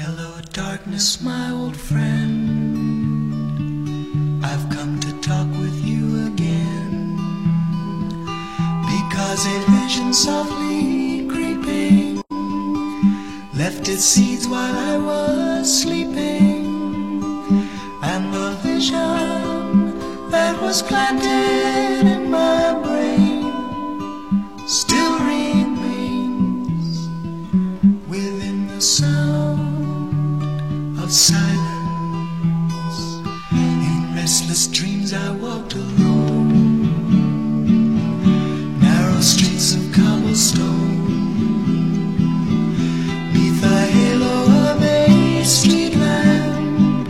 Hello, darkness, my old friend. I've come to talk with you again, because a vision softly creeping left its seeds while I was sleeping, and the vision that was planted in my brain still remains within the sound of silence. In restless dreams I walked alone, narrow streets of cobblestone, neath the halo of a street lamp.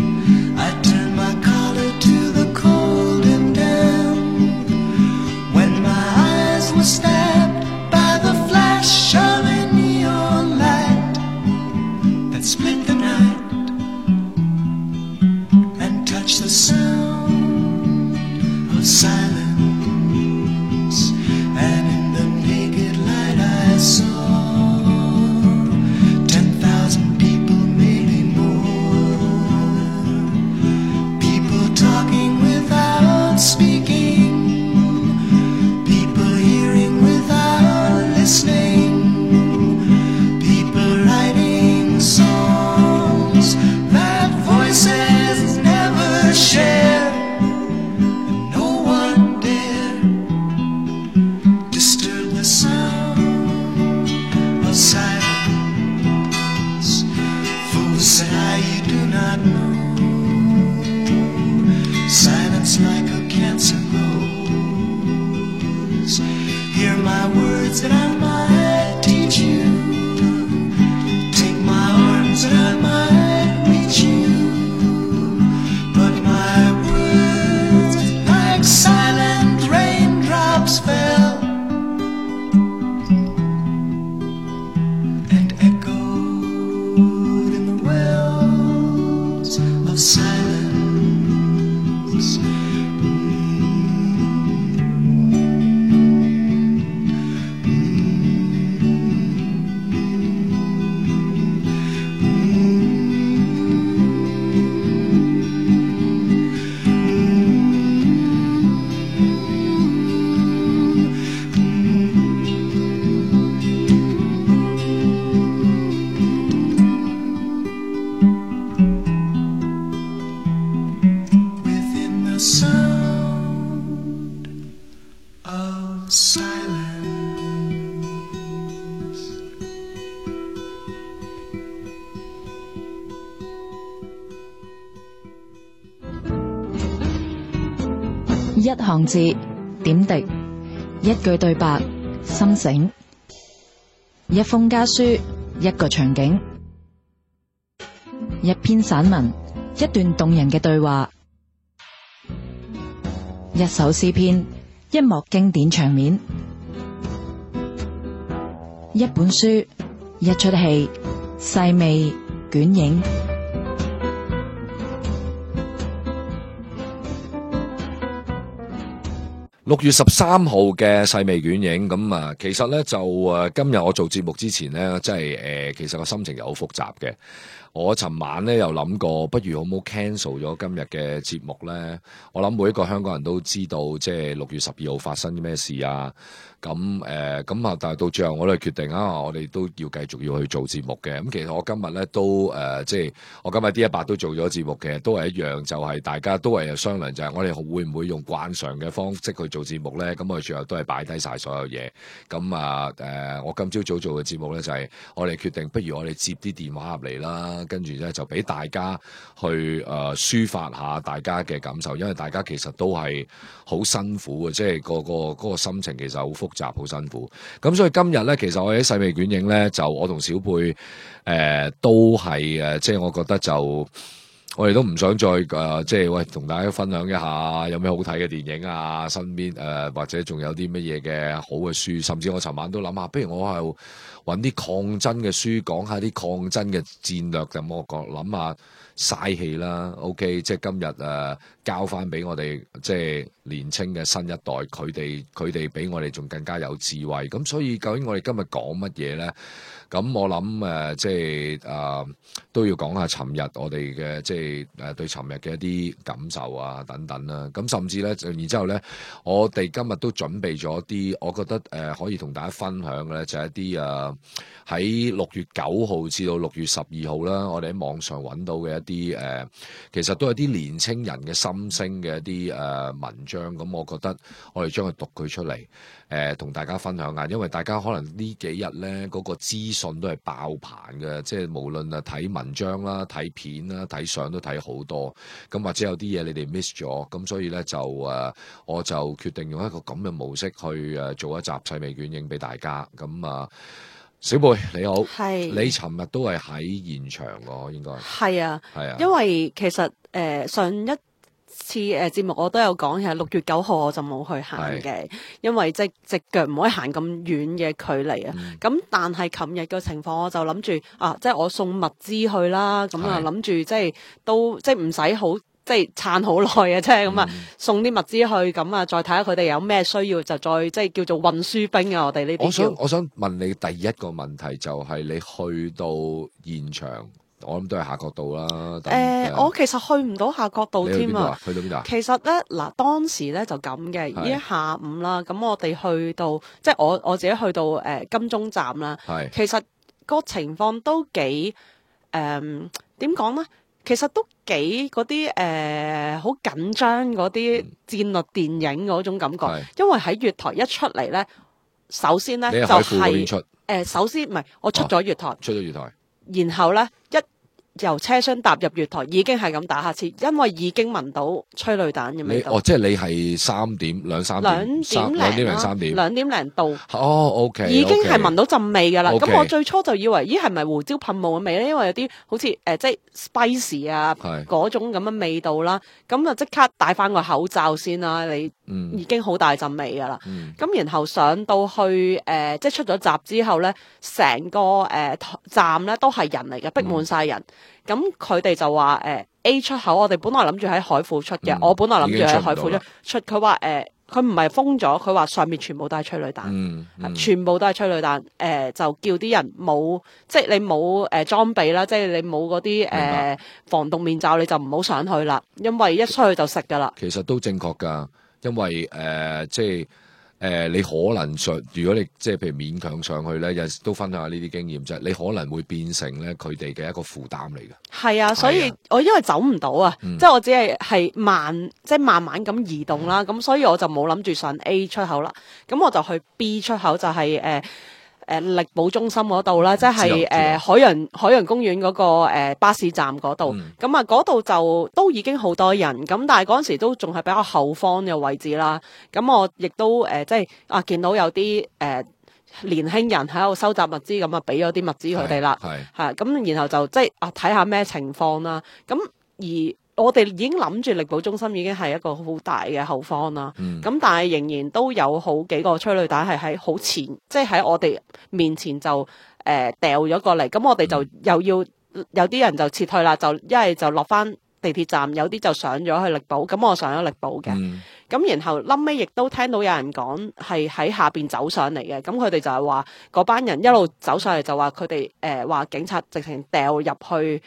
I turned my collar to the cold and damp, when my eyes were stabbed by the flash of a neon light that split the night and touched the sound of silence. And in the naked light I saw 10,000 people, maybe more, people talking without speaking, people hearing without listening, people writing songs that voices never share, and no one dare disturb the sound of silence. Fools say you do not know, silence like a cancer grows. Hear my words that I might teach you, take my arms that I might reach you, but my words like silent raindrops fell and echoed in the wells of silence. Within the sound of silence. 一行字，點滴；一句對白，心醒；一封家書，一個場景；一篇散文，一段動人嘅對話；一首詩篇，一幕經典場面；一本書，一出戲，細味捲影。6月13號嘅細味捲影咁啊，其實咧就今日我做節目之前咧，即係其實個心情又好複雜嘅。我尋晚咧又諗過，不如好唔好 cancel 咗今日嘅節目咧？我諗每一個香港人都知道，即係6月12號發生啲咩事啊。咁咁啊，但係到最後我都係決定啊，我哋都要繼續要去做節目嘅。咁其實我今日咧都即係我今日D100都做咗節目嘅，都係一樣，就係大家都係商量，就係我哋會唔會用慣常嘅方式去做節目咧？咁我哋最後都係擺低晒所有嘢。咁啊我今朝早做嘅節目咧就係我哋決定，不如我哋接啲電話入嚟啦，跟住咧就俾大家去抒發下大家嘅感受，因為大家其實都係好辛苦嘅，即係嗰個心情其實好複雜，好辛苦。咁所以今日咧，其實我喺細味捲影咧，就我同小貝都係即係我覺得就我哋都唔想再即係喂同大家分享一下有咩好睇嘅電影啊，身邊或者仲有啲乜嘢嘅好嘅書，甚至我尋晚都諗下，不如我係揾啲抗爭嘅書，講下啲抗爭嘅戰略，咁我諗下嘥氣啦。OK， 即係今日交翻俾我哋即係年青嘅新一代，佢哋比我哋仲更加有智慧。咁所以究竟我哋今日講乜嘢咧？咁我諗即係都要講下尋日我哋嘅即係對尋日嘅一啲感受啊等等啦。咁甚至咧，然之後咧，我哋今日都準備咗啲，我覺得可以同大家分享嘅咧，就係一啲喺6月9號至到6月12號啦，我哋喺網上揾到嘅一啲其實都係啲年青人嘅心聲嘅一啲文章。咁我覺得我哋將佢讀佢出嚟，同大家分享下，因為大家可能呢幾日咧嗰個資訊都係爆棚嘅，即係無論睇文章啦、睇片啦、睇相都睇好多。咁或者有啲嘢你哋 miss 咗，咁所以咧就我就決定用一個咁嘅模式去做一集細味卷影俾大家。咁小貝你好，係你尋日都係喺現場喎，應該係啊，係啊，因為其實上一次節目我都有講，係6月9號我就冇去行嘅，因為即係隻腳唔可以行咁遠嘅距離啊。咁但係琴日嘅情況，我就諗住即係我送物資去啦，咁啊諗住即係都即係唔使好。即係撐好耐嘅啫，咁啊送啲物資去，咁啊再睇下佢哋有咩需要，就再即係叫做運輸兵啊！我哋呢啲我想問你第一個問題就係你去到現場，我諗都係夏慤道啦。我其實去唔到夏慤道添啊。去到邊度啊？其實咧嗱，當時咧就咁嘅，已經下午啦。咁我哋去到即係我自己去到金鐘站啦。其實個情況都幾點講咧？其實都幾嗰啲好緊張嗰啲戰略電影嗰種感覺，因為喺月台一出嚟咧，首先咧就係首先唔係我出咗月台，出咗月台，然後咧由車廂踏入月台已經係咁打乞嗤，因為已經聞到催淚彈嘅味道。即係你係2點零3點2點零到。OK，已經係聞到陣味㗎啦。咁我最初就以為係咪胡椒噴霧嘅味咧？因為有啲好似即係 spicy 啊嗰種咁嘅味道啦。咁就即刻戴翻個口罩先啦。你已經好大陣味㗎啦。咁然後上到去即係出咗閘之後咧，成個站咧都係人嚟嘅，逼滿晒人。咁佢哋就話A 出口，我哋本來諗住喺海富出嘅，我本來諗住喺海富出，佢話佢唔係封咗，佢話上面全部都係催淚彈，全部都係催淚彈，就叫啲人冇，即係你冇裝備啦，即係你冇嗰啲防毒面罩，你就唔好上去啦，因為一出去就食噶啦。其實都正確噶，因為即係。你可能如果你即係譬如勉強上去咧，有時都分享下呢啲經驗啫。你可能會變成咧佢哋嘅一個負擔嚟嘅。係啊，所以我因為走唔到啊，即係我只係慢慢咁移動啦。咁所以我就冇諗住上 A 出口啦。咁我就去 B 出口，就係力寶中心嗰度啦，即係海洋公園嗰個巴士站嗰度。咁啊嗰度就都已經好多人，咁但係嗰陣時都仲係比較後方嘅位置啦。咁我亦都即係見到有啲年輕人喺度收集物資，咁啊俾咗啲物資佢哋啦。係咁，然後就即係睇下咩情況啦。咁而我哋已經諗住力寶中心已經係一個好大嘅後方啦，咁但係仍然都有好幾個催淚彈係喺好前，即係喺我哋面前就掉咗過嚟，咁我哋就又要有啲人就撤退啦，就一係就落翻地鐵站，有啲就上咗去力寶，咁我上咗力寶嘅，咁然後臨尾亦都聽到有人講係喺下邊走上嚟嘅，咁佢哋就係話嗰班人一路走上嚟就話佢哋話警察直情掉入去。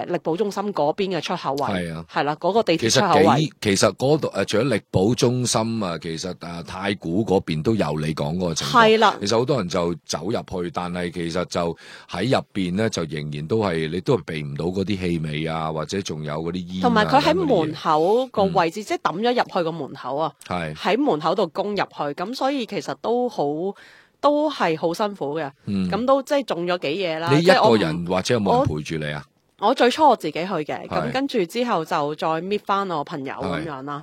力寶中心嗰邊嘅出口位係啦，嗰個地鐵出口位。其實嗰度除咗力寶中心啊，其實太古嗰邊都有你講嗰個情況。係啦，其實好多人就走入去，但係其實就喺入邊咧，就仍然都係你都係避唔到嗰啲氣味啊，或者仲有嗰啲煙。同埋佢喺門口個位置，即係抌咗入去個門口啊。係喺門口度攻入去，咁所以其實都係好辛苦嘅。咁都即係中咗幾嘢啦。你一個人或者有冇人陪住你啊？我最初我自己去嘅，咁跟住之後就再搣翻我朋友咁樣啦。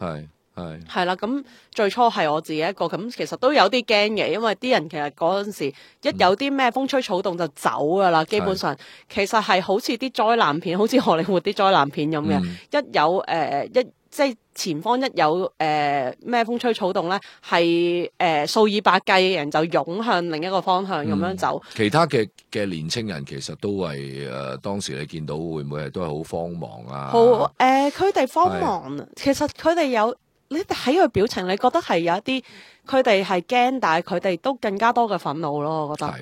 係啦，咁最初係我自己一個，咁其實都有啲驚嘅，因為啲人其實嗰陣時一有啲咩風吹草動就走噶啦，基本上其實係好似啲災難片，好似荷里活啲災難片咁嘅，一有即係前方一有咩風吹草動咧，係數以百計嘅人就湧向另一個方向咁樣走。其他嘅年青人其實都係當時你見到會唔會都係好慌忙啊？好佢哋慌忙，其實佢哋有你睇佢表情，你覺得係有一啲佢哋係驚，但係佢哋都更加多嘅憤怒咯。我覺得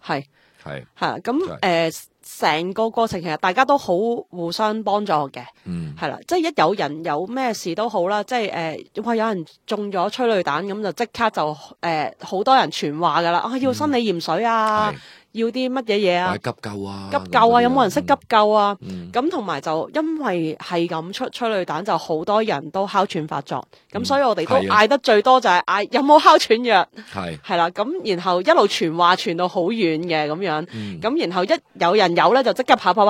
係係係咁成個過程其實大家都好互相幫助嘅，係啦，即係一有人有咩事都好啦，即係哇有人中咗催淚彈咁就即刻就好多人傳話噶啦，要生理鹽水啊，要啲乜嘢嘢啊，急救啊，急救啊，有冇人識急救啊？咁同埋就因為係咁出催淚彈，就好多人都哮喘發作，咁所以我哋都嗌得最多就係嗌有冇哮喘藥，係啦，咁然後一路傳話傳到好遠嘅咁樣，咁然後一有人有咧就即刻跑過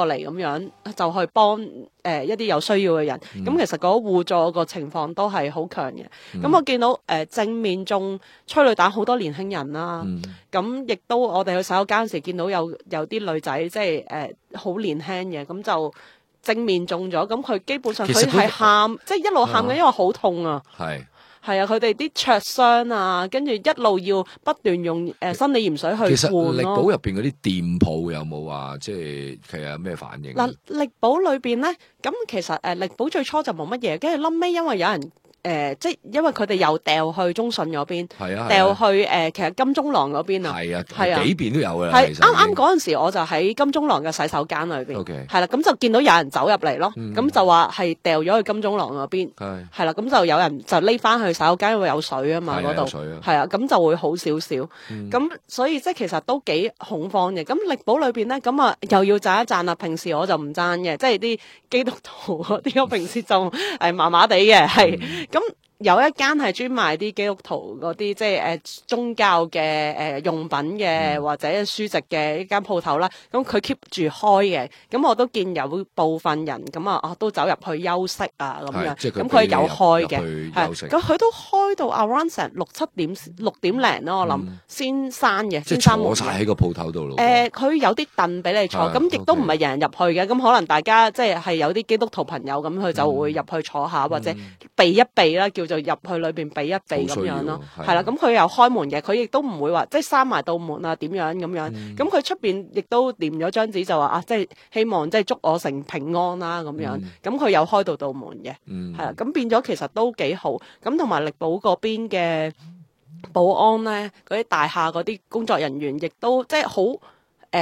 嚟咁樣就去幫一啲有需要嘅人，咁其實嗰個互助個情況都係好強嘅。咁我見到正面中催淚彈好多年輕人啦，咁亦都我哋去洗手間時見到有啲女仔即係好年輕嘅，咁就正面中咗，咁佢基本上佢係喊，即係一路喊嘅，因為好痛啊。係啊，佢哋啲灼傷啊，跟住一路要不斷用生理鹽水去換咯。其實力寶入邊嗰啲店鋪有冇話即係其實有咩反應？嗱，力寶裏邊咧，咁其實力寶最初就冇乜嘢，跟住臨尾因為有人。即係因為佢哋又掉去中信嗰邊，掉去其實金鐘廊嗰邊啊，係啊，幾邊都有嘅。係啱嗰陣時，我就喺金鐘廊嘅洗手間裏邊，係啦，咁就見到有人走入嚟咯，咁就話係掉咗去金鐘廊嗰邊，係啦，咁就有人就匿翻去洗手間，因為有水啊嘛嗰度，係啊，咁就會好少少，咁所以即係其實都幾恐慌嘅。咁力寶裏邊咧，咁啊又要讚一讚啦。平時我就唔讚嘅，即係啲基督徒嗰啲，我平時就麻麻地嘅，係。咁有一間係專賣啲基督徒嗰啲，即係宗教嘅用品嘅或者書籍嘅一間鋪頭啦。咁佢 keep 住開嘅，咁我都見有部分人咁啊都走入去休息啊咁樣。咁佢有開嘅，係咁佢都開到 around 成6點零咯，我諗先閂嘅，先閂門。坐晒喺個鋪頭度咯。佢有啲凳俾你坐，咁亦都唔係人人入去嘅。咁可能大家即係有啲基督徒朋友咁，佢就會入去坐下或者避一避啦，叫。就入去裏邊避一避咁樣咯，係啦，咁佢又開門嘅，佢亦都唔會話即係閂埋道門啊點樣咁樣，咁佢出邊亦都黏咗張紙就話啊，即係希望即係祝我成平安啦咁樣，咁佢有開到道門嘅，係啦，咁變咗其實都幾好，咁同埋力寶嗰邊嘅保安咧，嗰啲大廈嗰啲工作人員亦都即係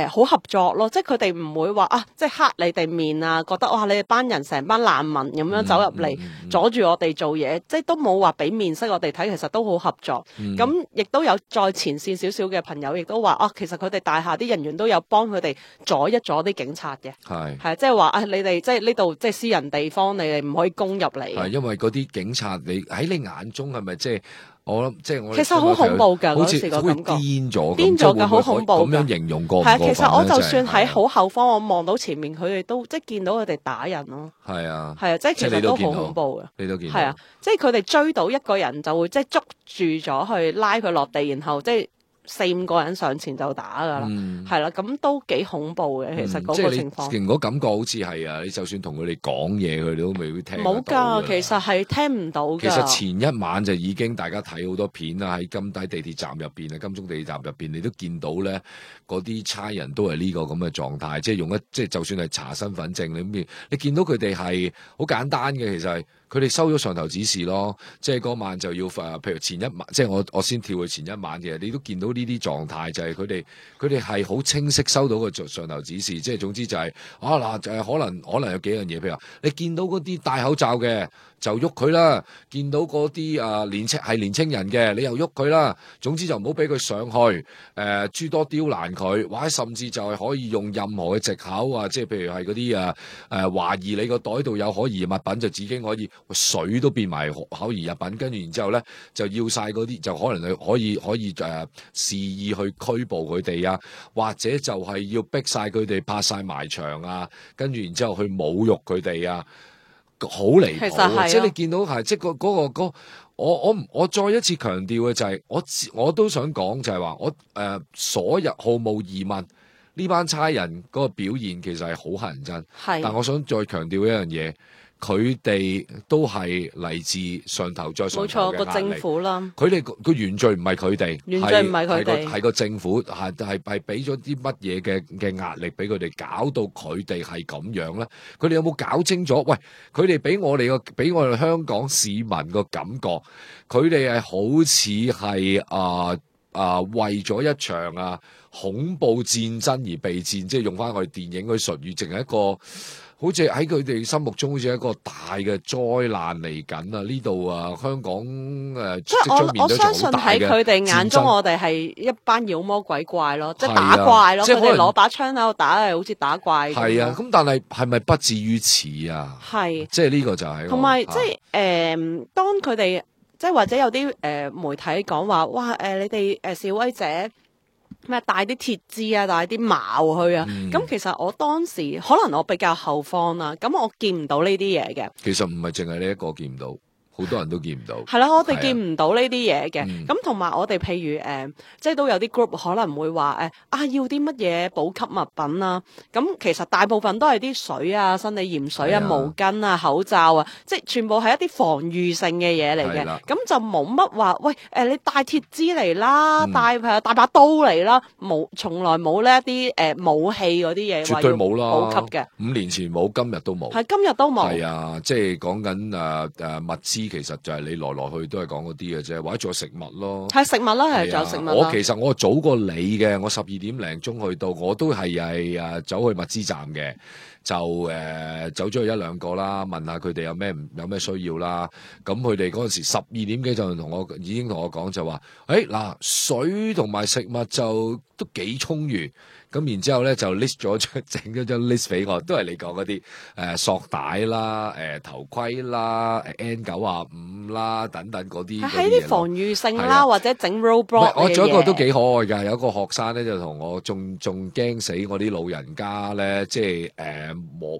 好合作咯，即係佢哋唔會話啊，即係黑你哋面啊，覺得哇你哋班人成班難民咁樣走入嚟阻住我哋做嘢，即係都冇話俾面色我哋睇，其實都好合作。咁亦都有再前線少少嘅朋友，亦都話啊，其實佢哋大廈啲人員都有幫佢哋阻一阻啲警察嘅，係即係話啊，你哋即係呢度即係私人地方，你哋唔可以攻入嚟。係因為嗰啲警察，你喺你眼中係咪即係？我諗即係我，其實好恐怖㗎，嗰時個感覺癲咗㗎，好恐怖。咁樣形容過唔過分？係其實我就算喺好後方，我望到前面佢哋都即係見到佢哋打人咯。係啊，即係其實都好恐怖嘅。你都見到。係啊，即係佢哋追到一個人就會即係捉住咗去拉佢落地，然後即係4-5個人上前就打㗎啦。係啦，咁都幾恐怖嘅。其實嗰個情況，即係你嗰感覺好似係啊，你就算同佢哋講嘢，佢哋都未會聽。冇㗎，其實係聽唔到㗎。其實前一晚就已經大家睇好多片啦，喺金低地鐵站入邊啊，金鐘地鐵站入邊，你都見到咧，嗰啲差人都係呢個咁嘅狀態，即係用即係就算係查身份證，你見到佢哋係好簡單嘅，其實係。佢哋收咗上頭指示咯，即係嗰晚就要譬如前一晚，即係我先跳去前一晚嘅，你都見到呢啲狀態，就係佢哋係好清晰收到個上頭指示，即係總之就係可能有幾樣嘢，譬如話你見到嗰啲戴口罩嘅就喐佢啦，見到嗰啲年青人嘅你又喐佢啦，總之就唔好俾佢上去，諸多刁難佢，或者甚至就係可以用任何嘅藉口啊，即係譬如係嗰啲懷疑你個袋度有可疑物品，就已經可以。水都變埋可疑物品，跟住然之後咧就要晒嗰啲，就可能可以肆意去拘捕佢哋啊，或者就係要逼晒佢哋拍晒埋牆啊，跟住然之後去侮辱佢哋啊，好離譜。即係你見到係即係嗰個我再一次強調嘅就係我都想講就係話所有毫無疑問呢班差人嗰個表現其實係好乞人憎，但我想再強調一樣嘢。佢哋都係嚟自上頭再上頭嘅壓力。冇錯，個政府啦。佢哋個原罪唔係佢哋，原罪唔係佢哋，係個政府係俾咗啲乜嘢嘅壓力俾佢哋，搞到佢哋係咁樣咧。佢哋有冇搞清楚？喂，佢哋俾我哋香港市民個感覺，佢哋係好似係為咗一場恐怖戰爭而備戰，即係用翻我哋電影嗰啲術語，淨係一個。好似喺佢哋心目中好似一個大嘅災難嚟緊啊！呢度啊，香港即係我相信喺佢哋眼中，我哋係一班妖魔鬼怪咯，即係打怪咯。佢哋攞把槍喺度打，係好似打怪。係啊，咁但係咪不至於此啊？係，即係呢個就係。同埋即係當佢哋即係或者有啲媒體講話，哇你哋示威者。咩帶啲鐵枝啊，帶啲矛去啊？咁其實我當時可能我比較後方啦，咁我見唔到呢啲嘢嘅。其實唔係淨係你一個見唔到。好多人都見唔到，係啦，我哋見唔到呢啲嘢嘅。咁同埋我哋譬如即係都有啲 group 可能會話要啲乜嘢補給物品啊。咁其實大部分都係啲水啊、生理鹽水啊、毛巾啊、口罩啊，即係全部係一啲防禦性嘅嘢嚟嘅。咁就冇乜話，喂你帶鐵枝嚟啦，帶把刀嚟啦，從來冇呢一啲武器嗰啲嘢，絕對冇啦，補給嘅。5年前冇，今日都冇。係今日都冇。係啊，即係講緊物資。其實就係你來來去都係講嗰啲嘅啫，或者仲有食物咯。係食物啦，係仲有食物啦。其實我早過你嘅，我12點零鐘去到，我都係走去物資站嘅，就走咗去一兩個啦，問下佢哋有咩需要啦。咁佢哋嗰陣時12點幾就已經同我講就話，嗱水同埋食物就都幾充裕。咁然之後咧就 list 咗整咗張 list 俾我，都係你講嗰啲索帶啦、頭盔啦、N95啦等等嗰啲。喺啲防禦性啦，或者整 roadblock 嘅嘢。我仲有一個都幾可愛㗎，有一個學生咧就同我仲驚死我啲老人家咧，即係摸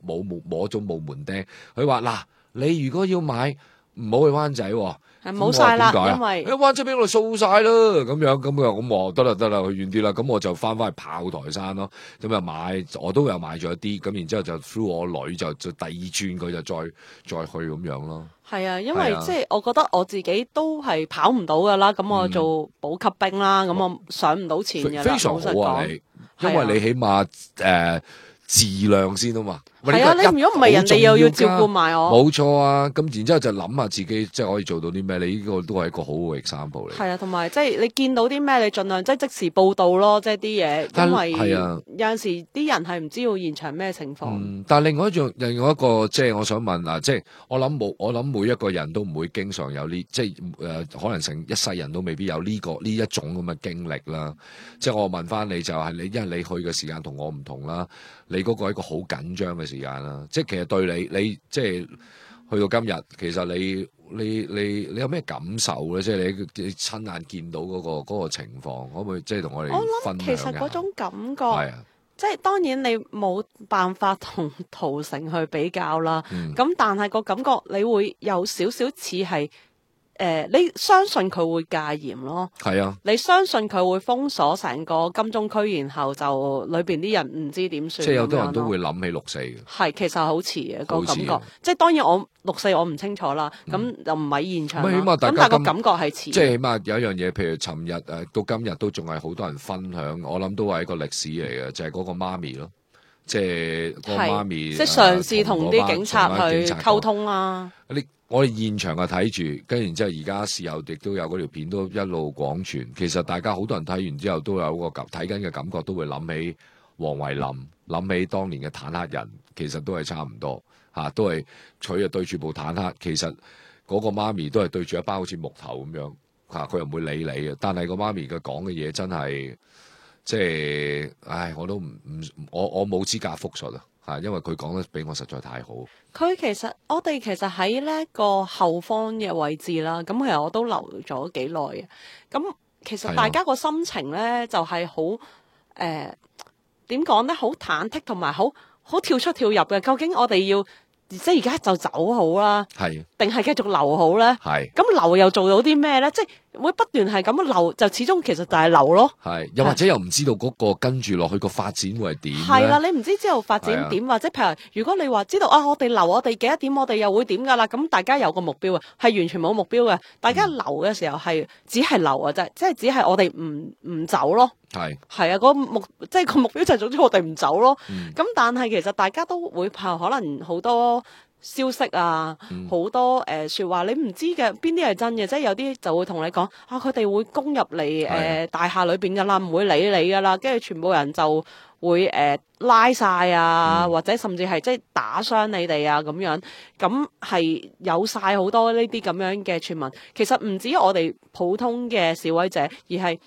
咗冇門釘。佢話嗱，你如果要買唔好去灣仔喎。係冇晒啦，因為灣仔俾我哋掃晒啦，咁樣咁我得啦，去遠啲啦，咁我就翻去炮台山咯，咁又買，我都有買咗一啲，咁然之後就 through 我女就第二轉佢就再去咁樣咯。係啊，因為即係我覺得我自己都係跑唔到噶啦，咁我做補給兵啦，咁我上唔到前嘅啦。非常好啊，你，因為你起碼自量先啊嘛。係啊，你如果唔係人哋又要照顧埋我，冇錯啊。咁然之後就諗下自己即係可以做到啲咩，你呢個都係一個好好嘅 example 嚟。係啊，同埋即係你見到啲咩，你盡量即時報道咯，即係啲嘢，因為有陣時啲人係唔知道現場咩情況。但係另外一個即係我想問啊，即係我諗每一個人都唔會經常有呢，即係可能成一世人都未必有呢一種咁嘅經歷啦。即係我問翻你就係因為你去嘅時間同我唔同啦，你嗰個係一個好緊張嘅時間啦，即係其實對你即係去到今日，其實你有咩感受咧？即係你親眼見到嗰個情況，可唔可以即係同我哋分享一下？其實嗰種感覺，即係當然你冇辦法同屠城去比較啦。咁但係個感覺你會有少少似係。你相信佢會戒嚴咯？係啊，你相信佢會封鎖成個金鐘區，然後就裏邊啲人唔知點算。即係有啲人都會諗起6·4嘅。係，其實好似嘅個感覺。即係當然我6·4我唔清楚啦，咁就唔喺現場啦。咁但係個感覺係似。即係起碼有一樣嘢，譬如尋日到今日都仲係好多人分享，我諗都係一個歷史嚟嘅，就係嗰個媽咪咯，即係個媽咪。即係嘗試同啲警察去溝通啦。我哋現場睇住，跟然之後而家事後亦都有嗰條片都一路廣傳。其實大家好多人睇完之後都有個睇緊嘅感覺，都會諗起黃惠林，諗起當年嘅坦克人，其實都係差唔多嚇，都係佢對住部坦克，其實嗰個媽咪都係對住一班好似木頭咁樣嚇，佢又唔會理你嘅。但係個媽咪佢講嘅嘢真係即係，唉，我都我冇資格複述啊，因為佢講得比我實在太好。我哋其實喺呢個後方嘅位置啦，咁其實我都留咗幾耐嘅。咁其實大家個心情咧就係好點講咧，好忐忑同埋好跳出跳入嘅。究竟我哋要即係而家就走好啦，定係繼續留好咧？咁留又做到啲咩咧？即係會不斷係咁樣留，就始終其實就係留咯。又或者又唔知道嗰個跟住落去個發展會係點？係啦，你唔知之後發展點，或者譬如如果你話知道我哋留我哋幾多點，我哋又會點噶啦？咁大家有個目標啊，係完全冇目標嘅。大家留嘅時候係只係留啊，即係只係我哋唔走咯。係啊，即係個目標就係總之我哋唔走咯。咁但係其實大家都會可能好多消息啊，好多説話，你唔知嘅邊啲係真嘅，即係有啲就會同你講啊，佢哋會攻入嚟大廈裏邊噶啦，唔會理你噶啦，跟住全部人就會拉晒啊，或者甚至係即係打傷你哋啊咁樣，咁係有晒好多呢啲咁樣嘅傳聞。其實唔止我哋普通嘅示威者，而係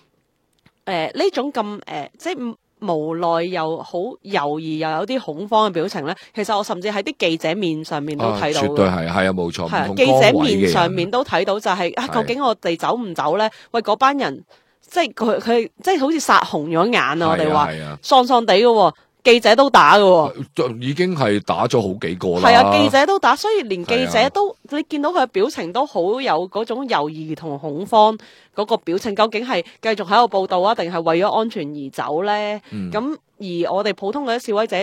呢種咁即係無奈又好猶豫又有啲恐慌嘅表情咧，其實我甚至喺啲記者面上面都睇到嘅。絕對係啊，冇錯。唔同記者崗位嘅人面上面都睇到就係究竟我哋走唔走咧？喂，嗰班人即係佢即係好似殺紅咗眼啊！我哋話喪喪地嘅喎。記者都打嘅，已經係打咗好幾個啦。係啊，記者都打，所以連記者都你見到佢嘅表情都好有嗰種猶豫同恐慌嗰個表情，究竟係繼續喺度報道啊，定係為咗安全而走咧？咁而我哋普通嗰啲示威者，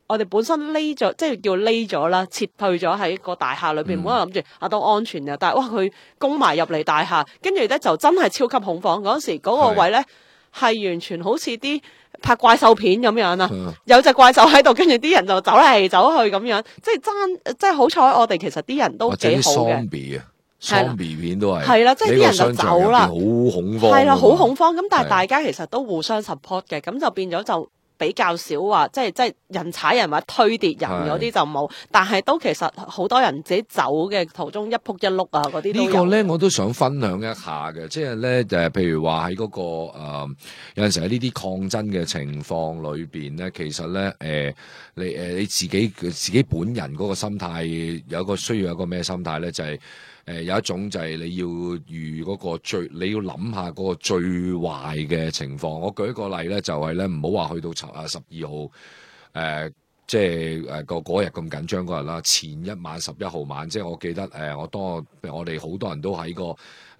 我哋本身匿咗，即係叫匿咗啦，撤退咗喺個大廈裏邊，本來諗住都安全嘅，但係哇佢攻埋入嚟大廈，跟住咧就真係超級恐慌。嗰時嗰個位咧係完全好似啲拍怪獸片咁樣啊，有隻怪獸喺度，跟住啲人就走嚟走去咁樣，即係好彩我哋其實啲人都幾好嘅。Zombie 片都係啦，即係啲人就走啦，好恐慌。係啦，好恐慌。咁但係大家其實都互相 support 嘅，咁就變咗就比較少話，即係人踩人或者推跌人嗰啲就冇，但係都其實好多人自己走嘅途中一仆一碌啊嗰啲都有。呢個咧我都想分享一下嘅，即係咧譬如話喺嗰個有陣時喺呢啲抗爭嘅情況裏邊咧，其實咧你自己本人嗰個心態需要有一個咩心態咧，就係有一種就係你要預嗰個你要諗下嗰個最壞嘅情況。我舉一個例咧，就係咧唔好話去到12號即係嗰日咁緊張嗰日啦，前一晚11號晚，即係我記得我哋好多人都喺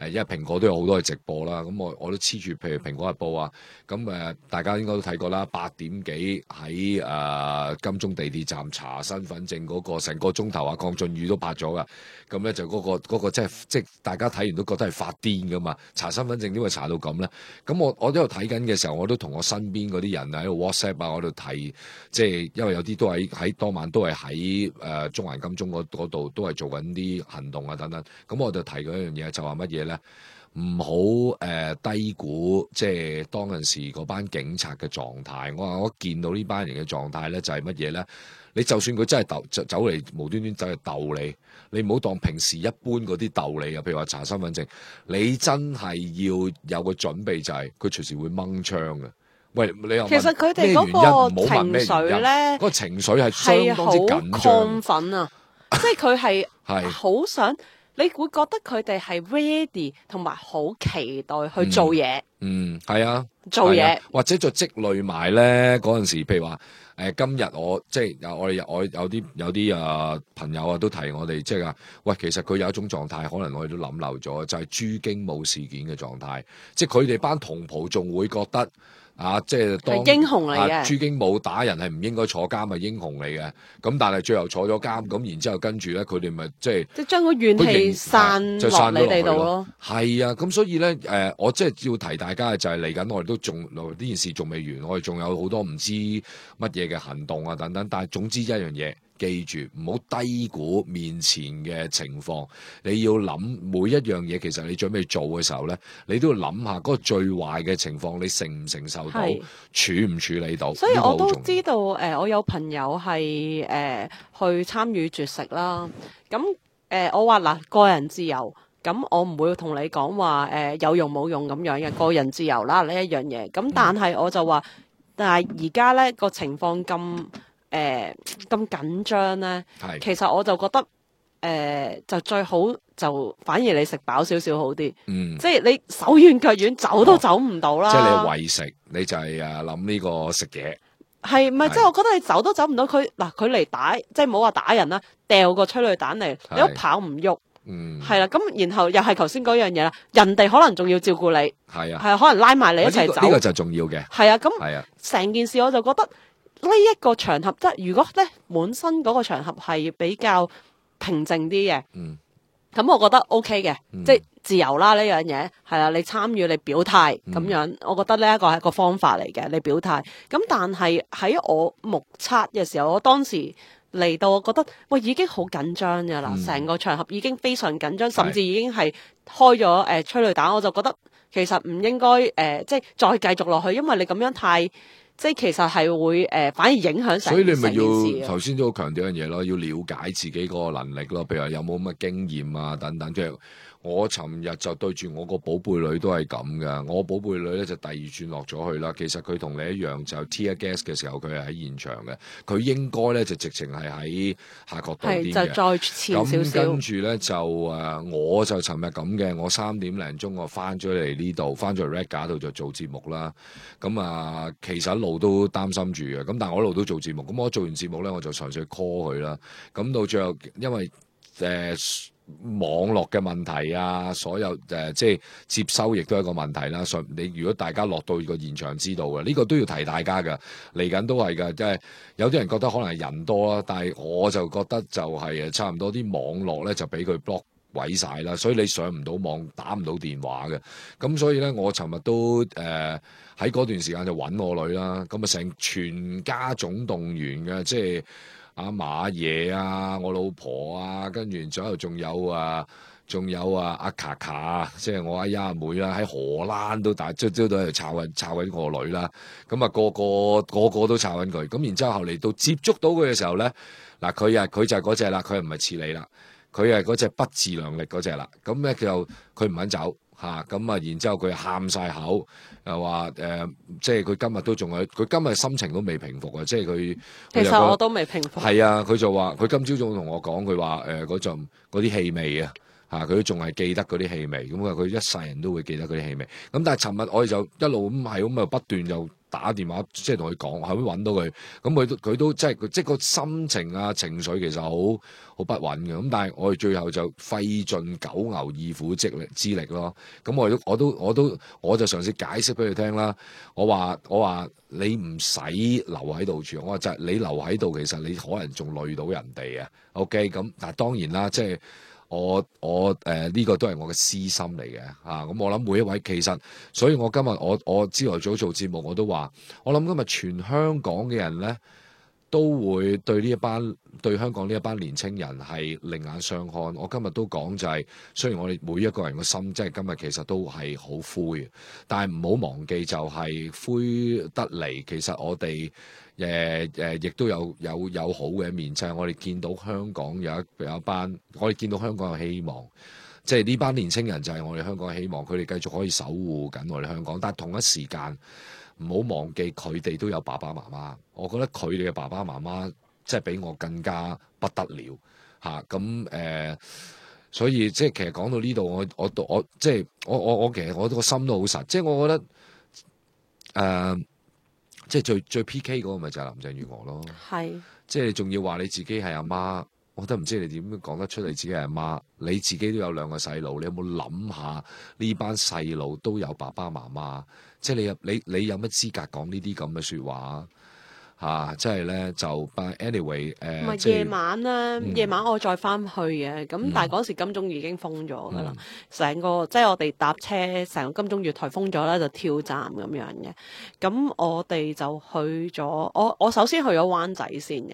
因為蘋果都有好多嘅直播啦，咁我都黐住，譬如蘋果日報啊，咁大家應該都睇過啦，8點幾喺金鐘地鐵站查身份證嗰個成個鐘頭啊，鄺俊宇都拍咗噶，咁咧就嗰個即係大家睇完都覺得係發癲噶嘛，查身份證點會查到咁咧？咁我都有睇緊嘅時候，我都同我身邊嗰啲人喺度 WhatsApp 啊，我度提，即係因為有啲都喺當晚都係喺中環金鐘嗰度都係做緊啲行動啊等等，咁我就提嗰一樣嘢就話乜嘢咧？唔好低估即係當陣時嗰班警察嘅狀態。我見到呢班人嘅狀態咧，就係乜嘢咧？你就算佢真係走嚟無端端走嚟鬥你唔好當平時一般嗰啲鬥你啊。譬如話查身份證，你真係要有個準備，就係佢隨時會掹槍嘅。喂，你又其實佢哋嗰個情緒咧，嗰個情緒係相當之緊張、亢奮啊！即係佢係好想。你會覺得佢哋係 ready 同埋好期待去做嘢，係啊，做嘢或者就積累埋咧嗰陣時，譬如話今日我即係我有啲朋友啊都提我哋，即係話喂，其實佢有一種狀態，可能我哋都諗漏咗，就係朱經武事件嘅狀態，即係佢哋班同袍仲會覺得。即係當英雄嚟嘅，朱經武打人係唔應該坐監，係英雄嚟嘅。咁但係最後坐咗監，咁然之後跟住咧，佢哋咪即係將個怨氣散落你哋度咯。係啊，咁所以咧，我即係要提大家嘅就係嚟緊，我哋都仲呢件事仲未完，我哋仲有好多唔知乜嘢嘅行動啊等等。但係總之一樣嘢。記住唔好低估面前嘅情況，你要諗每一樣嘢。其實你準備做嘅時候咧，你都要諗下嗰個最壞嘅情況，你承唔承受到，處唔處理到。所以我都知道，我有朋友係去參與絕食啦。咁我話嗱，個人自由，咁我唔會同你講話有用冇用咁樣嘅個人自由啦呢一樣嘢。咁但係我就話，但係而家咧個情況咁緊張咧，其實我就覺得就最好就反而你食飽少少好啲，即係你手軟腳軟走都走唔到啦。即係你為食，你就係諗呢個食嘢，係咪？即係我覺得你走都走唔到，佢嚟打，即係唔好話打人啦，掉個催淚彈嚟，你都跑唔喐，係啦。咁然後又係頭先嗰樣嘢啦，人哋可能仲要照顧你，係啊，可能拉埋你一齊走，呢個就重要嘅。係啊，咁成件事我就覺得。呢一個場合，即係如果咧本身嗰個場合係比較平靜啲嘅，咁我覺得 OK 嘅，即係自由啦呢樣嘢，係啦，你參與你表態咁樣，我覺得呢一個係一個方法嚟嘅，你表態。咁但係喺我目測嘅時候，我當時嚟到，我覺得喂已經好緊張㗎啦，成個場合已經非常緊張，甚至已經係開咗催淚彈，我就覺得其實唔應該即係再繼續落去，因為你咁樣太即係其實係會反而影響成件事。所以你咪要頭先都好強調一樣嘢咯，要了解自己個能力咯，譬如話有冇乜經驗啊等等，即係。我尋日就對住我個寶貝女都係咁噶，我寶貝女咧就第二轉落咗去啦。其實佢同你一樣，就 tear gas 嘅時候佢係喺現場嘅，佢應該咧就直情係喺下角度邊嘅。就再前少少。咁跟住咧就我就尋日咁嘅，我3點零鐘我翻咗嚟呢度，翻咗嚟 Red 架度就做節目啦。咁其實一路都擔心住嘅，咁但係我一路都做節目。咁我做完節目咧，我就嘗試 call 佢啦。咁到最後，因為網絡嘅問題啊，所有即係接收亦都係一個問題啦。你如果大家落到個現場知道嘅，呢個都要提大家㗎。嚟緊都係㗎，即係有啲人覺得可能係人多啦，但係我就覺得就係差唔多啲網絡咧就俾佢 block 毀晒啦，所以你上唔到網，打唔到電話嘅。咁所以咧，我尋日都喺嗰段時間就揾我女啦。咁成全家總動員嘅，即係。阿馬爺啊，我老婆啊，跟住左右仲有阿卡卡，即係我阿丫阿妹啦，喺荷蘭都大朝朝都喺度抄緊我女啦。咁個個都抄緊佢。咁然之後嚟到接觸到佢嘅時候咧，嗱佢就係嗰隻啦，佢唔係似你啦，佢係嗰隻不自量力嗰隻啦。咁咧佢唔肯走。咁然之後佢喊晒口，又話即係佢今日都仲係，佢今日心情都未平復啊！即係佢其實我都未平復。係啊，佢就話佢今朝早同我講，佢話嗰啲氣味啊，佢都仲係記得嗰啲氣味。咁佢一世人都會記得嗰啲氣味。咁但係尋日我哋就一路咁係咁啊，不斷又打電話，即係同佢講，後尾揾到佢。咁佢都即係個心情啊情緒其實好不穩嘅。咁但係我哋最後就費盡九牛二虎之力咯。咁我就嘗試解釋俾佢聽啦。我話你唔使留喺度住，我話就係你留喺度，其實你可能仲累到人哋啊。OK， 咁但係當然啦，即係我呢個都係我嘅私心嚟嘅嚇。咁我諗每一位其實，所以我今日我朝頭早做節目我都話，我諗今日全香港嘅人咧都會對香港呢一班年青人係另眼相看。我今日都講就係，雖然我哋每一個人嘅心即係今日其實都係好灰，但係唔好忘記就係灰得嚟，其實我哋亦都有好嘅一面，就係我哋見到香港有一班，我哋見到香港有希望，即係呢班年青人就係我哋香港嘅希望，佢哋繼續可以守護緊我哋香港，但係同一時間唔好忘記佢哋都有爸爸媽媽，我覺得佢哋嘅爸爸媽媽即係比我更加不得了嚇。咁所以即係其實講到呢度，我即係我其實我個心都好實，即係我覺得即係最 PK 嗰個咪就係林鄭月娥咯。係，即係你仲要話你自己係阿媽，我都唔知你點講得出你自己係阿媽。你自己都有2個細路，你有冇諗下呢班細路都有爸爸媽媽？即係你有乜資格講呢啲咁嘅説話啊？即係咧就 ，but anyway 唔係夜晚咧，夜晚我再翻去嘅，咁但係嗰時金鐘已經封咗噶啦，成個即係我哋搭車，成個金鐘月台封咗啦，就跳站咁樣嘅。咁我哋就去咗，我首先去咗灣仔先嘅。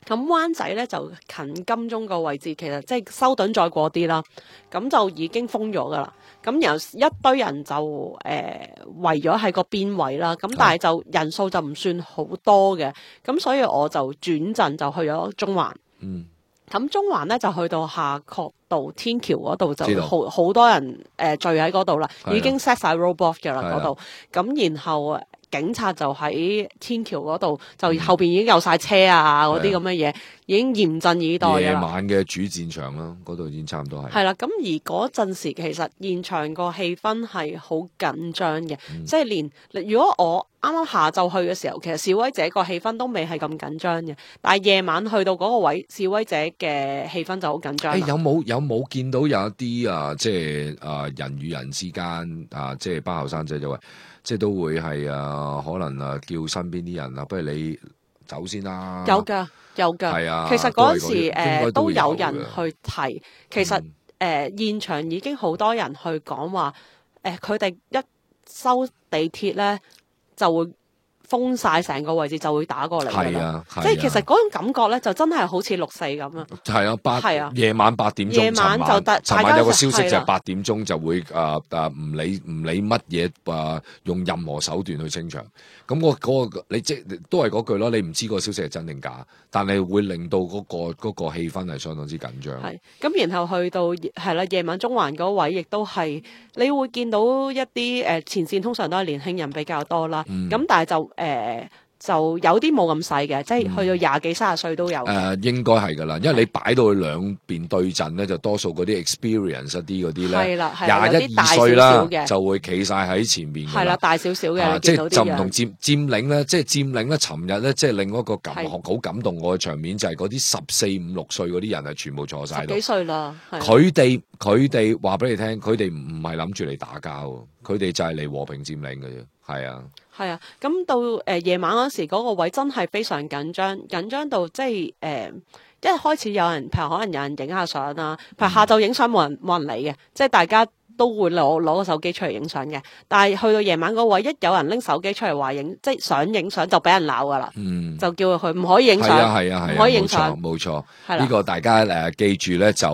咁灣仔咧就近金鐘個位置，其實即係修頓再過啲啦，咁就已經封咗噶啦。咁然後一堆人就圍咗喺個邊位啦，咁但係就人數就唔算好多嘅，咁所以我就轉陣就去咗中環。咁中環咧就去到夏慤道天橋嗰度就好多人聚喺嗰度啦，已經 set 晒 roadblock 嘅啦嗰度。咁然後警察就喺天橋嗰度，就後邊已經有晒車啊嗰啲咁嘅嘢，已經嚴陣以待嘅啦。夜晚嘅主戰場啦，嗰度已經差唔多係。係啦，咁而嗰陣時其實現場個氣氛係好緊張嘅，即係連如果我啱啱下晝去嘅時候，其實示威者個氣氛都未係咁緊張嘅，但係夜晚去到嗰個位，示威者嘅氣氛就好緊張。有冇見到有一啲即係人與人之間即係班後生仔就話，即係都會係可能叫身邊啲人不如你走先啦。有㗎，係啊。其實嗰陣時都有人去提，其實現場已經好多人去講話，佢哋一收地鐵咧就會封晒成個位置就會打過嚟㗎啦。係啊，即係其實嗰種感覺咧，就真係好似6/4咁啊。係啊，夜晚8點鐘，夜晚就尋晚有個消息就係係啦8點鐘就會唔理乜嘢用任何手段去清場。咁嗰個你即都係嗰句咯，你唔知個消息係真定假，但係會令到嗰個氣氛係相當之緊張。係咁，然後去到係啦，夜晚中環嗰位亦都係你會見到一啲前線通常都係年輕人比較多啦。咁但係就有啲冇咁細嘅，即係去到20幾30歲都有。應該係㗎啦，因為你擺到去兩邊對陣咧，就多數嗰啲 experience 一啲嗰啲咧，係啦係啦有啲大21、2歲啦少少嘅，就會企晒喺前面㗎啦。係啦，大少少嘅，你即見到啲樣係就唔同佔領咧，即係佔領咧。尋日咧，即係另一個好感動我嘅場面就係嗰啲14、5、6歲嗰啲人係全部坐晒10度。幾歲啦，係佢哋話俾你聽，佢哋唔係諗住嚟打交，佢哋就係嚟和平佔領嘅啫。係啊。係啊，咁到夜晚嗰時嗰個位真係非常緊張，緊張到即係一開始有人，譬如可能有人影下相啦，譬如下晝影相冇人理嘅，即係大家都會攞個手機出嚟影相嘅。但係去到夜晚嗰位，一有人拎手機出嚟話影，即係想影相就俾人鬧噶啦，就叫佢唔可以影相，係啊，唔可以影相，冇錯。係啦，呢個大家記住咧，就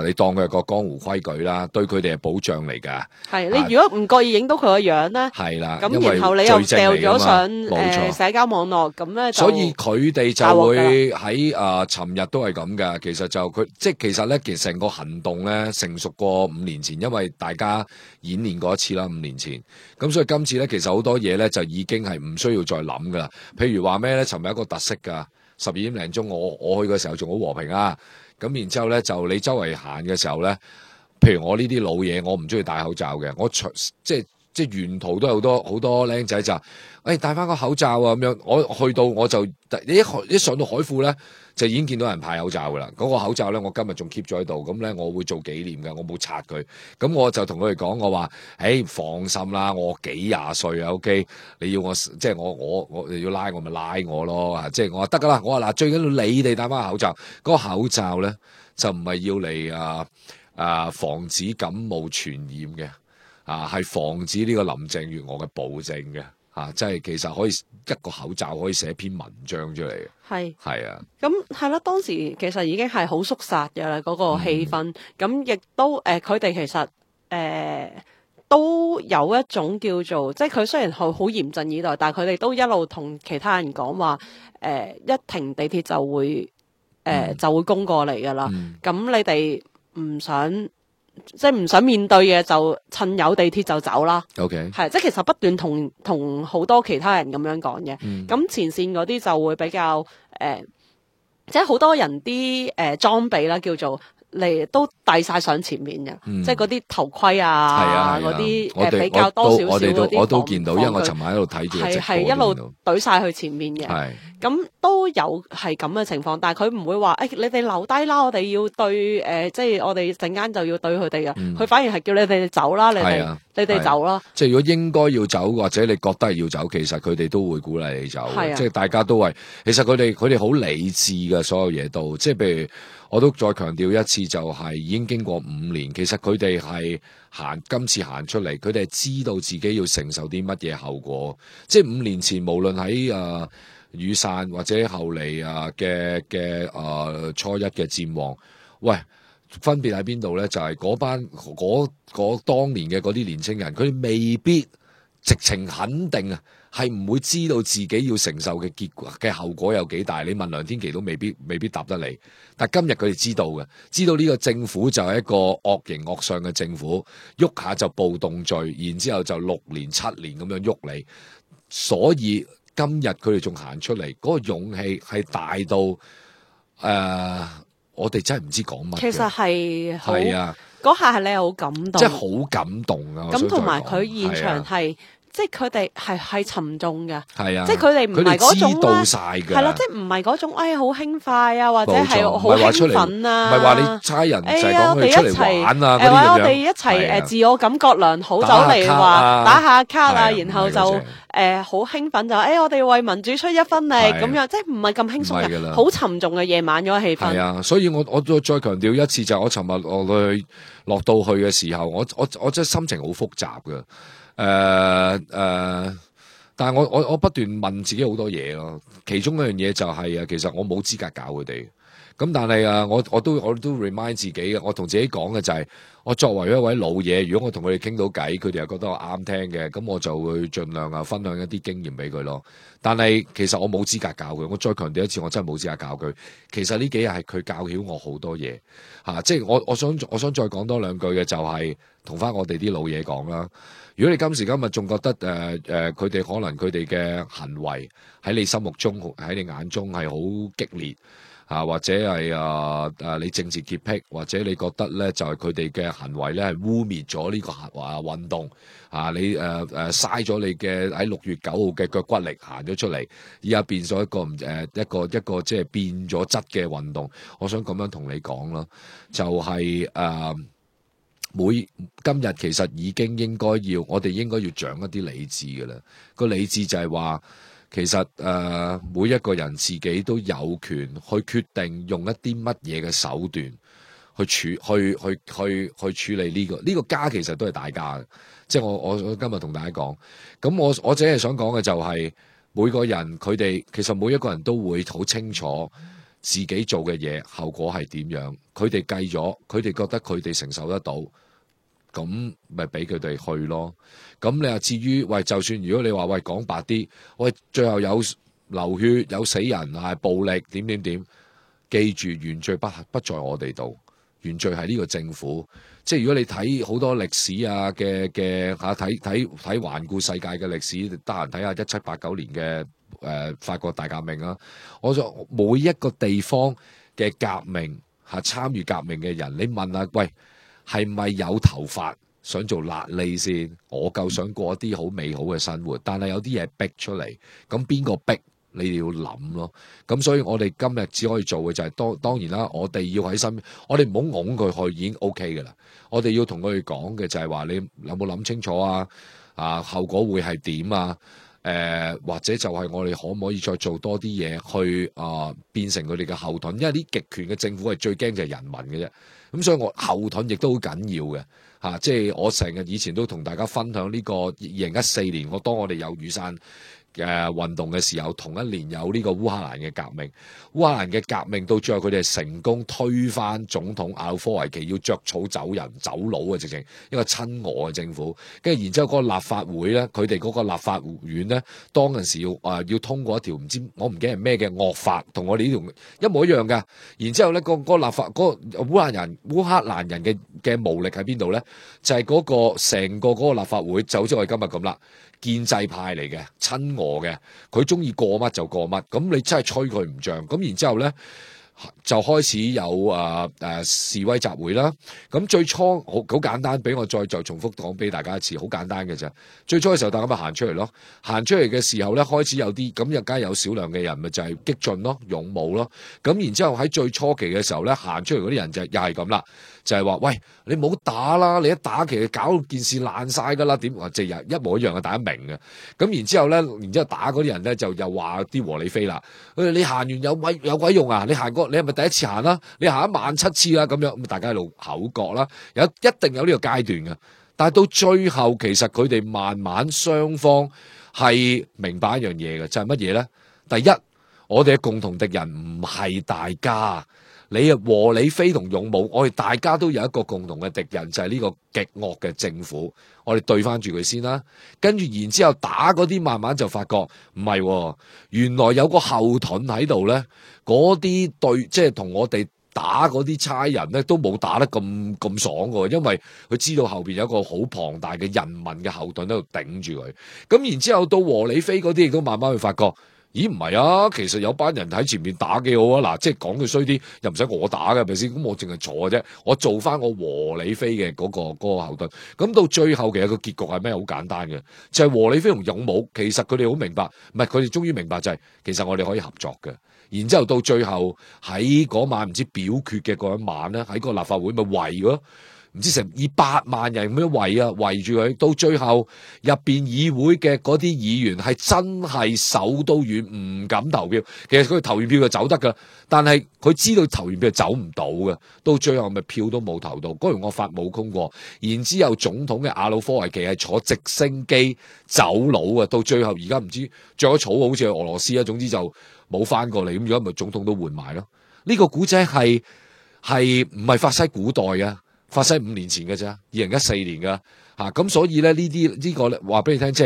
你當佢係個江湖規矩啦，對佢哋係保障嚟㗎。係你如果唔覺意影到佢個樣咧，係啦，咁然後你又掉咗上冇錯社交網絡，咁咧所以佢哋就會喺尋日都係咁㗎。其實就其實咧，其實成個行動咧成熟過5年前，因為大家演練過一次啦，5年前。咁所以今次咧，其實好多嘢咧就已經係唔需要再諗㗎啦。譬如話咩咧，尋日一個特色㗎，12點零鐘我去嘅時候仲好和平啊。咁然之後咧，就你周圍行嘅時候咧，譬如我呢啲老嘢，我唔中意戴口罩嘅，我即係沿途都有好多僆仔就戴翻個口罩啊咁樣。我去到我就一上到海富咧，就已經見到人派口罩噶啦。嗰個口罩咧，我今日仲 keep 咗喺度，咁咧我會做紀念嘅，我冇拆佢。咁我就同佢哋講，我話放心啦，我幾廿歲啊 ，OK， 你要我即係我你要拉我咪拉我咯，即係我話得噶啦。我話嗱，最緊要你哋戴翻個口罩，嗰個口罩咧就唔係要嚟防止感冒傳染嘅。係防止呢個林鄭月娥嘅暴政嘅，即係其實可以一個口罩可以寫篇文章出嚟嘅。係啊，咁係啦，當時其實已經係好肅殺嘅啦，嗰個氣氛，咁亦都佢哋其實都有一種叫做，即係佢雖然好嚴陣以待，但係佢哋都一路同其他人講話，一停地鐵就會攻過嚟噶啦，咁你哋唔想面對嘅就趁有地鐵就走啦。OK， 係即係其實不斷同好多其他人咁樣講嘅。咁前線嗰啲就會比較即係好多人啲裝備啦，叫做嚟都遞晒上前面嘅，即係嗰啲頭盔啊，嗰啲比較多少少嗰啲，我都見到，因為我尋晚喺度睇住係一路懟晒去前面嘅。咁都有係咁嘅情況，但係佢唔會話你哋留低啦，我哋要對即係我哋陣間就要對佢哋嘅。佢反而係叫你哋走啦，你哋走啦。即係如果應該要走，或者你覺得係要走，其實佢哋都會鼓勵你走。即係大家都係，其實佢哋好理智嘅，所有嘢都。即係譬如我都再強調一次，就係已經經過5年，其實佢哋係今次行出嚟，佢哋係知道自己要承受啲乜嘢後果。即係5年前，無論喺雨傘或者後嚟嘅初一嘅戰王，喂，分別喺邊度咧？就係嗰當年嘅嗰啲年青人，佢哋未必直情肯定啊，係唔會知道自己要承受嘅結果嘅後果有幾大。你問梁天琦都未必答得你。但今日佢哋知道嘅，知道呢個政府就係一個惡形惡相嘅政府，喐下就暴動罪，然之後就6年7年咁樣喐你，所以。今日佢哋仲行出嚟，嗰個勇氣係大到我哋真係唔知講乜。其實係啊，嗰下係你係好感動，即係好感動啊！咁同埋佢現場係。即係佢哋係沉重嘅，係啊，即係佢哋唔係嗰種知道晒嘅，係啦，即係唔係嗰種好輕快啊，或者係好興奮啊，唔係話你差人就係講佢出嚟玩啊，或者我哋一齊自我感覺良好，走嚟話打下卡啊，然後就好興奮就我哋為民主出一分力咁樣，即係唔係咁輕鬆嘅，好沉重嘅夜晚嗰個氣氛。係啊，所以我再強調一次，就係我尋日落到去嘅時候，我真係心情好複雜嘅。但係我不斷問自己好多嘢咯，其中一樣嘢就係其實我冇資格教佢哋。咁但係我都 remind 自己嘅，我同自己講嘅就係，我作為一位老嘢，如果我同佢哋傾到偈，佢哋又覺得我啱聽嘅，咁我就會盡量分享一啲經驗俾佢咯。但係其實我冇資格教佢，我再強調一次，我真係冇資格教佢。其實呢幾日係佢教曉我好多嘢嚇，即係我想再講多兩句嘅就係同翻我哋啲老嘢講啦。如果你今時今日仲覺得佢哋可能佢哋嘅行為喺你心目中喺你眼中係好激烈。或者係你政治潔癖，或者你覺得咧就係佢哋嘅行為咧係污蔑咗呢個運動你嘥咗你嘅喺6月9號嘅腳骨力行咗出嚟，而家變咗一個即係變咗質嘅運動。我想咁樣同你講啦，就係今日其實已經我哋應該要長一啲理智㗎啦。個理智就係話。其實每一個人自己都有權去決定用一啲乜嘢嘅手段去處理呢個家，其實都係大家嘅。即係我今日同大家講，咁我只係想講嘅就係每個人佢哋其實每一個人都會好清楚自己做嘅嘢後果係點樣，佢哋計咗，佢哋覺得佢哋承受得到。咁咪俾佢哋去咯。咁你話至於就算如果你話講白啲，最後有流血有死人暴力點，記住原罪不在我哋度，原罪係呢個政府。即係如果你睇好多歷史嘅睇環顧世界嘅歷史，得閒睇下1789年嘅法國大革命啦。我就每一個地方嘅革命參與革命嘅人，你問下係咪有頭髮想做癩痢先？我夠想過一啲好美好嘅生活，但係有啲嘢逼出嚟，咁邊個逼？你哋要諗咯。咁所以我哋今日只可以做嘅就係當然啦，我哋要喺身邊，我哋唔好擁佢去已經 OK 嘅啦。我哋要同佢哋講嘅就係話，你有冇諗清楚後果會係點啊？或者就係我哋可唔可以再做多啲嘢去變成佢哋嘅後盾？因為啲極權嘅政府係最驚就係人民嘅啫。咁所以我後盾亦都好緊要嘅即係我成日以前都同大家分享呢個2014年，當我哋有雨傘運動嘅時候，同一年有呢個烏克蘭嘅革命。烏克蘭嘅革命到最後佢哋係成功推翻總統亞努科維奇，要着草走人走佬嘅，直情一個親俄嘅政府。跟住然之後嗰個立法會咧，佢哋嗰個立法院咧，當陣時要通過一條我唔記得係咩嘅惡法，同我哋呢條一模一樣㗎。然之後咧，個立法嗰個烏克蘭人嘅無力喺邊度咧？就係嗰個成個嗰個立法會就好似我哋今日咁啦。建制派嚟嘅，親俄嘅，佢中意過乜就過乜，咁你真係吹佢唔脹。咁然之後咧，就開始有示威集會啦。咁最初好簡單，俾我再重複講俾大家一次，好簡單嘅啫。最初嘅時候，大家咪行出嚟咯。行出嚟嘅時候咧，開始有啲咁，又梗係有少量嘅人咪就係激進咯、勇武咯。咁然之後喺最初期嘅時候咧，行出嚟嗰啲人就又係咁啦。就係話，喂，你唔好打啦！你一打其實搞到件事爛晒噶啦，點話即係一模一樣嘅，大家明嘅。咁然之後咧，打嗰啲人咧就又話啲和理非啦。你行完有鬼用啊？你行過你係咪第一次行啦？你行17000次啦咁樣，咁大家喺度口角啦。一定有呢個階段嘅，但係到最後其實佢哋慢慢雙方係明白一樣嘢嘅，就係乜嘢咧？第一，我哋嘅共同敵人唔係大家。你和理非同勇武，我哋大家都有一個共同嘅敵人，就係呢個極惡嘅政府。我哋對翻住佢先啦，跟住然之後打嗰啲，慢慢就發覺唔係，原來有個後盾喺度咧。嗰啲即係同我哋打嗰啲差人咧，都冇打得咁爽嘅，因為佢知道後邊有一個好龐大嘅人民嘅後盾喺度頂住佢。咁然之後到和理非嗰啲，亦都慢慢去發覺。咦，唔係啊，其實有班人喺前面打幾好啊。嗱，即係講句衰啲，又唔使我打嘅，係咪先？咁我淨係坐嘅啫，我做翻我和理非嘅嗰個後盾。咁到最後其實個結局係咩？好簡單嘅，就係和理非同勇武。其實佢哋好明白，唔係佢哋終於明白就係，其實我哋可以合作嘅。然之後到最後喺嗰晚唔知表決嘅嗰一晚咧，喺個立法會咪圍咯。唔知成200萬人咁樣圍住佢，到最後入邊議會嘅嗰啲議員係真係手都軟，唔敢投票。其實佢投完票就走得噶，但係佢知道投完票走唔到嘅，到最後咪票都冇投到，嗰條惡法冇通過。然之後總統嘅亞努科維奇係坐直升機走佬啊，到最後而家唔知着咗草好似去俄羅斯啊，總之就冇翻過嚟。咁如果咪總統都換埋咯。呢個古仔係唔係發生喺古代啊？發生5年前嘅咋，2014年噶吓，咁所以咧呢個話俾你聽，即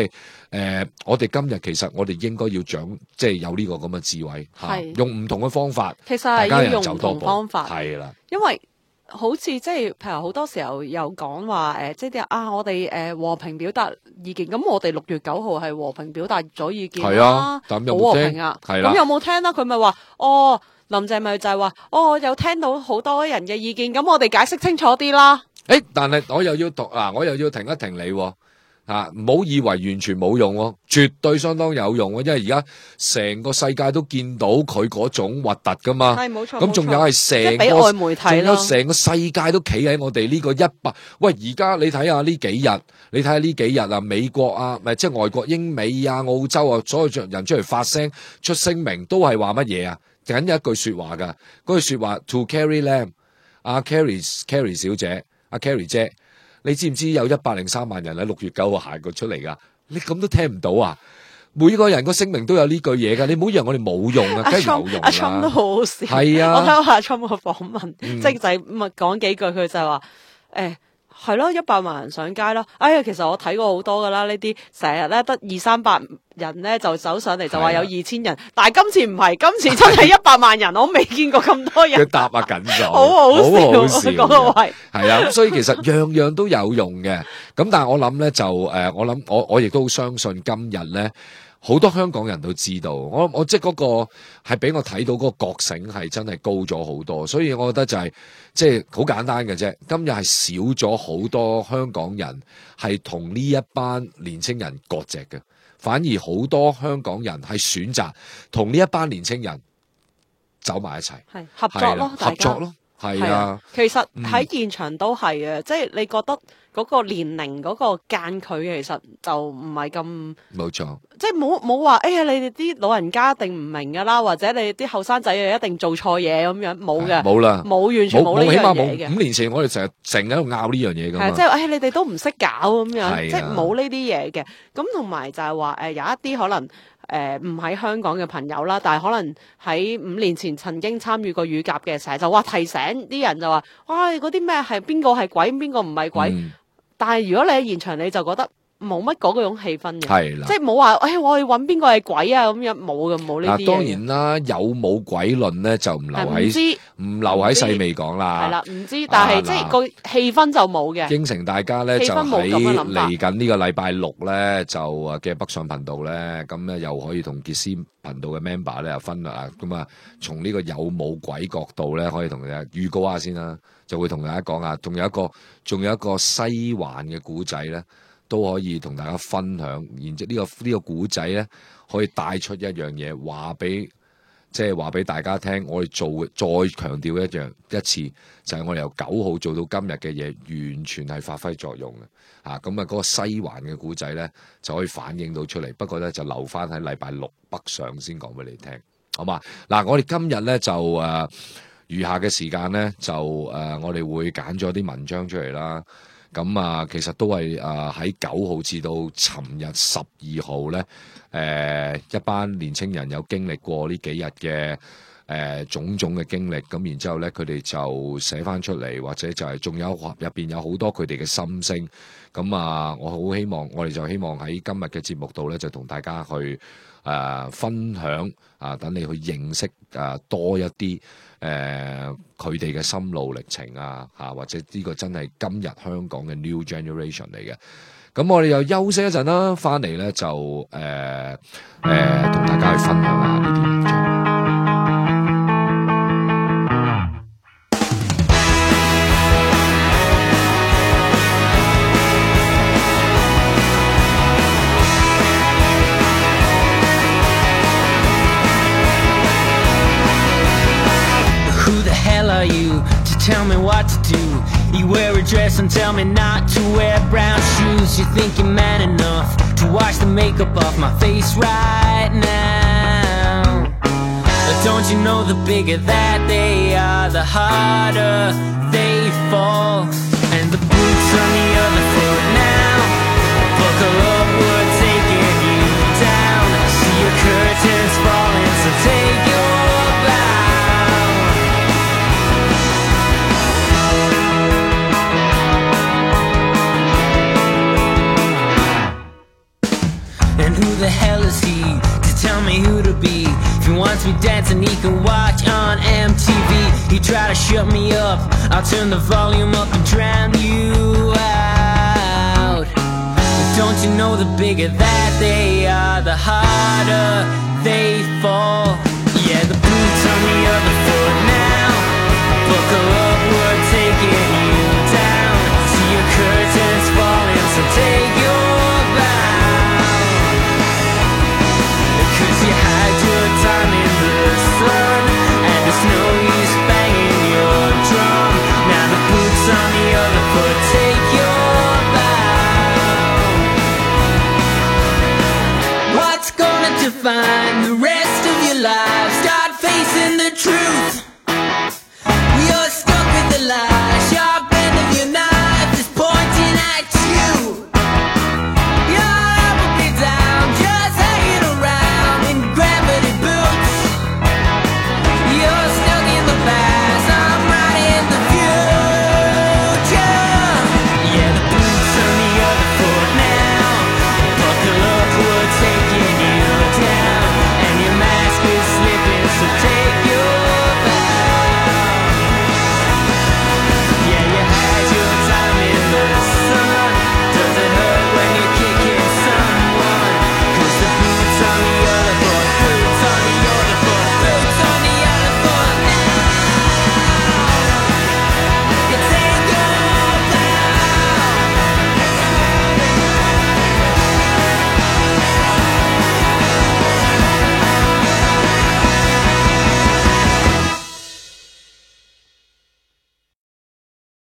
係我哋今日其實我哋應該要即係有呢個咁嘅智慧吓，用唔同嘅方法，其實係要用唔同方法，係啦，因為好似即係譬如好多時候有講話即係我哋和平表達意見，咁我哋6月9號係和平表達咗意見啦，好和平啊，咁有冇聽啦？佢咪話林鄭咪就係話，有聽到好多人嘅意見，咁我哋解釋清楚啲啦。但係我又要停一停你，唔好以為完全冇用，絕對相當有用，因為而家成個世界都見到佢嗰種核突噶嘛。係冇錯。咁仲有係成個外媒體，仲有成個世界都企喺我哋呢個100。喂，而家你睇下呢幾日啊，美國啊，即係外國英美啊、澳洲啊，所有人出嚟發聲出聲明，都係話乜嘢啊？僅有一句說話噶，嗰句說話 To Carrie Lam， 阿 Carrie 小姐，阿 Carrie 姐，你知唔知有103萬人喺6月9號行過出嚟噶？你咁都聽唔到啊？每個人個聲明都有呢句嘢噶，你唔好以為我哋冇用啊，梗係有用啦。阿 Trump 都好好笑，係啊，我睇下阿 Trump 個訪問，即係就係講幾句，佢就係話係咯，100萬人上街咯。哎呀，其實我睇過好多噶啦，呢啲成日咧得200-300人咧就走上嚟就話有2000人，但係今次唔係，今次真係100萬人，我未見過咁多人。佢答啊緊咗，好好笑嗰個位。係啊，咁所以其實樣樣都有用嘅。咁但係我諗咧就我亦都好相信今日咧。好多香港人都知道，我即係嗰個係俾我睇到嗰個覺醒係真係高咗好多，所以我覺得就係即係好簡單嘅啫。今日係少咗好多香港人係同呢一班年青人割席嘅，反而好多香港人係選擇同呢一班年青人走埋一齊，係合作咯，合作咯，係啊。其實喺現場都係啊，即係你覺得嗰個年齡嗰個間距其實就唔係咁冇錯，即係冇話你哋啲老人家一定唔明噶啦，或者你啲後生仔一定做錯嘢咁樣，冇嘅，冇啦，冇完全冇呢樣嘢嘅。5年前我哋成日喺度拗呢樣嘢噶嘛，即係你哋都唔識搞咁樣，即係冇呢啲嘢嘅。咁同埋就係話有一啲可能唔喺香港嘅朋友啦，但係可能喺5年前曾經參與過乳鴿嘅，成日就話提醒啲人就話，嗰啲咩係邊個係鬼，邊個唔係鬼。但係如果你喺現場，你就覺得冇乜嗰種氣氛嘅，係啦，即係冇話，我去揾邊個係鬼啊咁樣，冇嘅，冇呢啲嘢。當然啦，有冇鬼論咧就唔留喺細味講啦。係啦，唔知，但係即係個氣氛就冇嘅。應承大家咧就喺嚟緊呢個禮拜6咧就嘅北上頻道咧，咁咧又可以同傑斯頻道嘅 member 咧又分啦，咁啊從呢個有冇鬼角度咧，可以同大家預告下先啦。就會同大家講啊，仲有一個西環嘅古仔咧，都可以同大家分享。然之後呢個古仔咧，可以帶出一樣嘢，話俾大家聽。我哋再強調一次，就係我哋由9號做到今日嘅嘢，完全係發揮作用嘅。咁啊，嗰個西環嘅古仔咧，就可以反映到出嚟。不過咧，就留翻喺禮拜6北上先講俾你聽，好嘛？嗱，我哋今日咧就餘下嘅時間咧，就我哋會揀咗啲文章出嚟啦。咁其實都係喺9號至到尋日12號咧，一班年青人有經歷過呢幾日嘅種種嘅經歷，咁然之後咧，佢哋就寫翻出嚟，或者就係仲有入邊有好多佢哋嘅心聲。咁我哋就希望喺今日嘅節目度咧，就同大家去分享等你去認識多一啲佢哋嘅心路歷程或者呢個真係今日香港嘅 new generation 嚟嘅。咁我哋又休息一陣啦，翻嚟咧就同大家去分享下呢啲文章。Who the hell are you to tell me what to do. You wear a dress and tell me not to wear brown shoes. You think you're man enough to wash the makeup off my face right now. But don't you know the bigger that they are, the harder they fall. And the boots on the other foot now, buckle up, we're taking you down. See your curtains falling, so take your bow. And who the hell is he to tell me who to be? If he wants me dancing, he can watch on MTV. He try to shut me up, I'll turn the volume up and drown you out. But don't you know the bigger that they are, the harder they fall. Yeah, the boots on the other foot now, buckle up, we're taking you down. See your curtains falling, so take your bow. Cause you had your time in the sun, and there's no use banging your drum. Now the boots on the other foot, take your bow. What's gonna define the rest of your life? Start facing the truth. You're stuck with the lie.